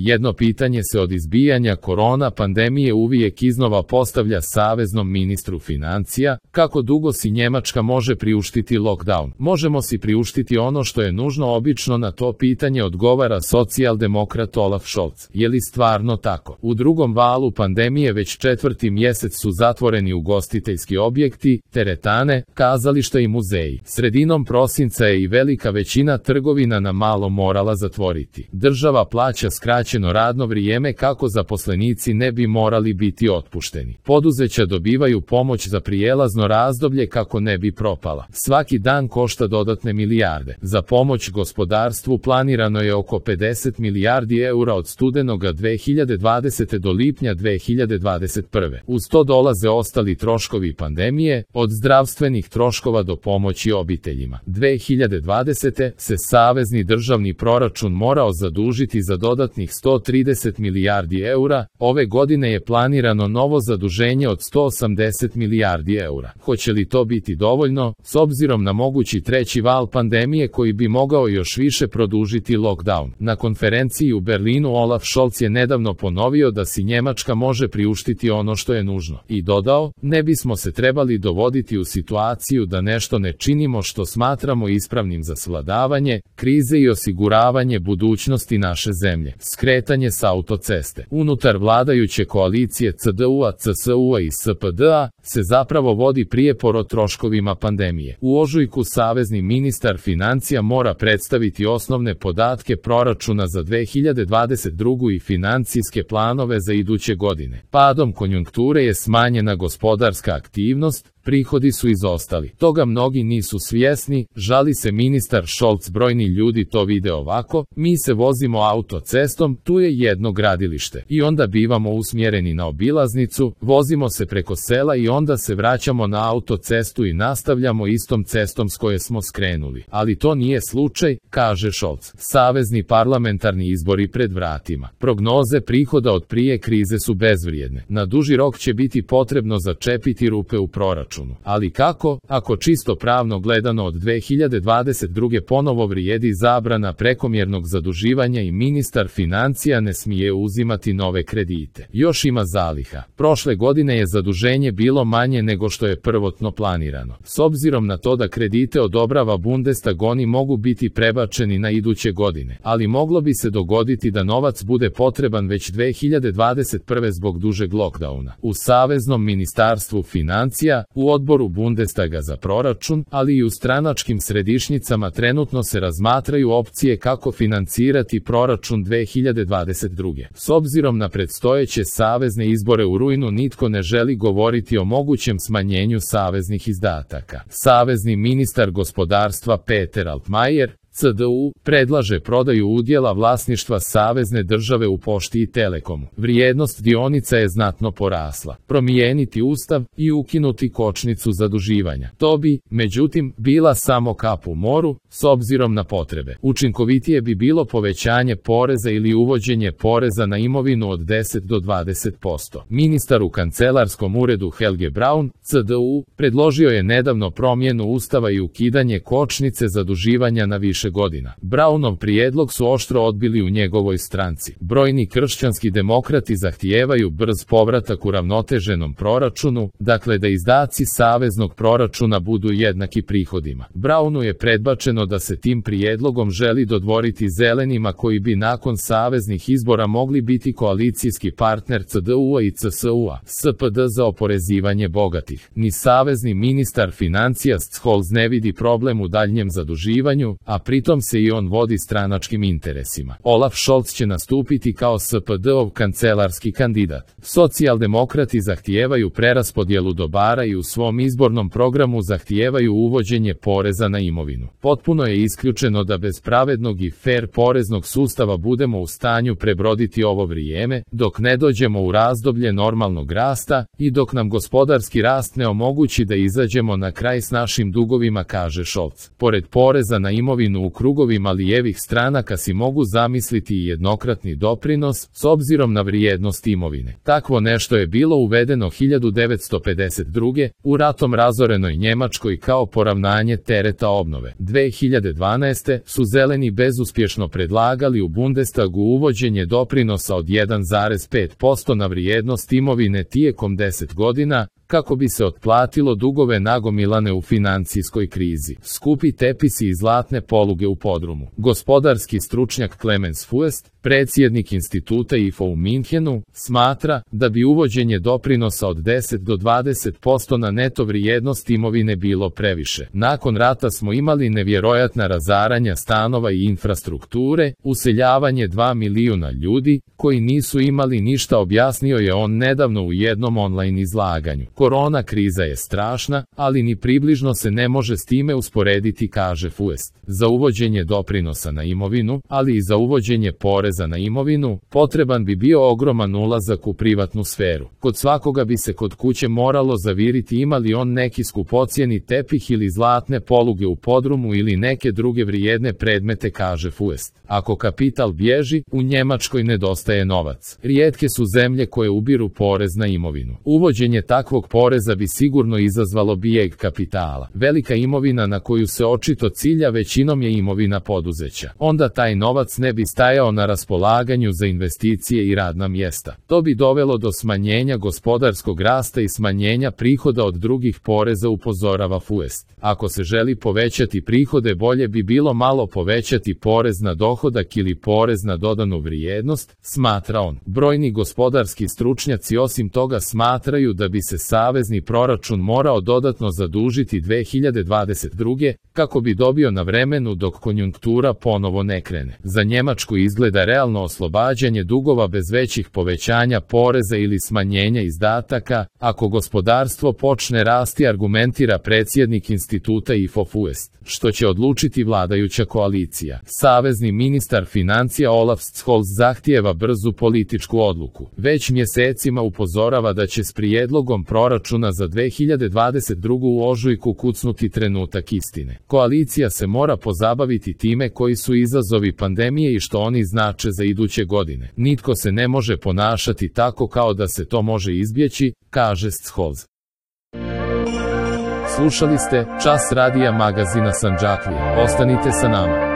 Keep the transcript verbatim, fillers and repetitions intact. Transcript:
Jedno pitanje se od izbijanja korona pandemije uvijek iznova postavlja saveznom ministru financija: kako dugo si Njemačka može priuštiti lockdown? Možemo si priuštiti ono što je nužno. Obično na to pitanje odgovara socijaldemokrat Olaf Scholz. Je li stvarno tako? U drugom valu pandemije već četvrti mjesec su zatvoreni ugostiteljski objekti, teretane, kazališta i muzeji. Sredinom prosinca je i velika većina trgovina na malo morala zatvoriti. Država plaća skraćeno radno vrijeme kako zaposlenici ne bi morali biti otpušteni. Poduzeća dobivaju pomoć za prijelazno razdoblje kako ne bi propala. Svaki dan košta dodatne milijarde. Za pomoć gospodarstvu planirano je oko pedeset milijardi eura od studenoga dve hiljade dvadesete do lipnja dve hiljade dvadeset prve. Uz to dolaze ostali troškovi pandemije, od zdravstvenih troškova do pomoći obiteljima. dve hiljade dvadesete se savezni državni proračun morao zadužiti za dodatnih sto trideset milijardi eura, ove godine je planirano novo zaduženje od sto osamdeset milijardi eura. Hoće li to biti dovoljno, s obzirom na mogući treći val pandemije koji bi mogao još više produžiti lockdown? Na konferenciji u Berlinu Olaf Scholz je nedavno ponovio da si Njemačka može priuštiti ono što je nužno. I dodao: ne bismo se trebali dovoditi u situaciju da nešto ne činimo što smatramo ispravnim za svladavanje krize i osiguravanje budućnosti naše zemlje. Skretanje s autoceste. Unutar vladajuće koalicije C D U-a, C S U-a i S P D-a se zapravo vodi prijepor o troškovima pandemije. U ožujku savezni ministar financija mora predstaviti osnovne podatke proračuna za dve hiljade dvadeset drugu i financijske planove za iduće godine. Padom konjunkture je smanjena gospodarska aktivnost, prihodi su izostali. Toga mnogi nisu svjesni, žali se ministar Scholz. Brojni ljudi to vide ovako: mi se vozimo autocestom, tu je jedno gradilište. I onda bivamo usmjereni na obilaznicu, vozimo se preko sela i onda se vraćamo na autocestu i nastavljamo istom cestom s koje smo skrenuli. Ali to nije slučaj, kaže Scholz. Savezni parlamentarni izbori pred vratima. Prognoze prihoda od prije krize su bezvrijedne. Na duži rok će biti potrebno začepiti rupe u proračunu. Ali kako, ako čisto pravno gledano od dve hiljade dvadeset druge ponovo vrijedi zabrana prekomjernog zaduživanja i ministar financija ne smije uzimati nove kredite. Još ima zaliha. Prošle godine je zaduženje bilo manje nego što je prvotno planirano. S obzirom na to da kredite odobrava Bundestag, oni mogu biti prebačeni na iduće godine. Ali moglo bi se dogoditi da novac bude potreban već dve hiljade dvadeset prve zbog dužeg lockdowna. U Saveznom ministarstvu financija, u odboru Bundestaga za proračun, ali i u stranačkim središnjicama trenutno se razmatraju opcije kako financirati proračun dve hiljade dvadeset druge. S obzirom na predstojeće savezne izbore u rujnu, nitko ne želi govoriti o mogućem smanjenju saveznih izdataka. Savezni ministar gospodarstva Peter Altmaier, C D U, predlaže prodaju udjela vlasništva savezne države u Pošti i Telekomu. Vrijednost dionica je znatno porasla. Promijeniti ustav i ukinuti kočnicu zaduživanja. To bi, međutim, bila samo kap u moru, s obzirom na potrebe. Učinkovitije bi bilo povećanje poreza ili uvođenje poreza na imovinu od deset do dvadeset posto. Ministar u kancelarskom uredu Helge Braun, C D U, predložio je nedavno promjenu ustava i ukidanje kočnice zaduživanja na više godina. Braunov prijedlog su oštro odbili u njegovoj stranci. Brojni kršćanski demokrati zahtijevaju brz povratak u ravnoteženom proračunu, dakle da izdaci saveznog proračuna budu jednaki prihodima. Braunu je predbačeno da se tim prijedlogom želi dodvoriti zelenima koji bi nakon saveznih izbora mogli biti koalicijski partner C D U-a i C S U-a. S P D za oporezivanje bogatih. Ni savezni ministar financija Scholz ne vidi problem u daljnjem zaduživanju, a pritom se i on vodi stranačkim interesima. Olaf Scholz će nastupiti kao S P D-ov kancelarski kandidat. Socijaldemokrati zahtijevaju preraspodjelu dobara i u svom izbornom programu zahtijevaju uvođenje poreza na imovinu. Potpuno je isključeno da bez pravednog i fer poreznog sustava budemo u stanju prebroditi ovo vrijeme, dok ne dođemo u razdoblje normalnog rasta i dok nam gospodarski rast ne omogući da izađemo na kraj s našim dugovima, kaže Scholz. Pored poreza na imovinu u krugovima lijevih stranaka si mogu zamisliti i jednokratni doprinos s obzirom na vrijednost imovine. Takvo nešto je bilo uvedeno hiljadu devetsto pedeset druge. u ratom razorenoj Njemačkoj kao poravnanje tereta obnove. dve hiljade dvanaeste. su zeleni bezuspješno predlagali u Bundestagu uvođenje doprinosa od jedan zarez pet posto na vrijednost imovine tijekom deset godina, kako bi se otplatilo dugove nagomilane u financijskoj krizi. Skupi tepisi i zlatne poluge u podrumu. Gospodarski stručnjak Clemens Fuest, predsjednik instituta I F O u Minhenu, smatra da bi uvođenje doprinosa od deset do dvadeset posto na neto vrijednost imovine bilo previše. Nakon rata smo imali nevjerojatna razaranja stanova i infrastrukture, useljavanje dva milijuna ljudi, koji nisu imali ništa, objasnio je on nedavno u jednom online izlaganju. Korona kriza je strašna, ali ni približno se ne može s time usporediti, kaže Fuest. Za uvođenje doprinosa na imovinu, ali i za uvođenje poreza na imovinu, potreban bi bio ogroman ulazak u privatnu sferu. Kod svakoga bi se kod kuće moralo zaviriti ima li on neki skupocjeni tepih ili zlatne poluge u podrumu ili neke druge vrijedne predmete, kaže Fuest. Ako kapital bježi, u Njemačkoj nedostaje novac. Rijetke su zemlje koje ubiru porez na imovinu. Uvođenje takvog poreza bi sigurno izazvalo bijeg kapitala. Velika imovina na koju se očito cilja većinom je imovina poduzeća. Onda taj novac ne bi stajao na raspolaganju za investicije i radna mjesta. To bi dovelo do smanjenja gospodarskog rasta i smanjenja prihoda od drugih poreza, upozorava Fuest. Ako se želi povećati prihode, bolje bi bilo malo povećati porez na dohodak ili porez na dodanu vrijednost, smatra on. Brojni gospodarski stručnjaci osim toga smatraju da bi se savezni proračun morao dodatno zadužiti dve hiljade dvadeset druge. kako bi dobio na vremenu dok konjunktura ponovo ne krene. Za Njemačku izgleda realno oslobađanje dugova bez većih povećanja poreza ili smanjenja izdataka, ako gospodarstvo počne rasti, argumentira predsjednik instituta I F O Fuest, što će odlučiti vladajuća koalicija. Savezni ministar financija Olaf Scholz zahtijeva brzu političku odluku. Već mjesecima upozorava da će s prijedlogom proračuna za dve hiljade dvadeset drugu u ožujku kucnuti trenutak istine. Koalicija se mora pozabaviti time koji su izazovi pandemije i što oni znače za iduće godine. Nitko se ne može ponašati tako kao da se to može izbjeći, kaže Scholz. Slušali ste Čas radija magazina Sandžaklije. Ostanite sa nama.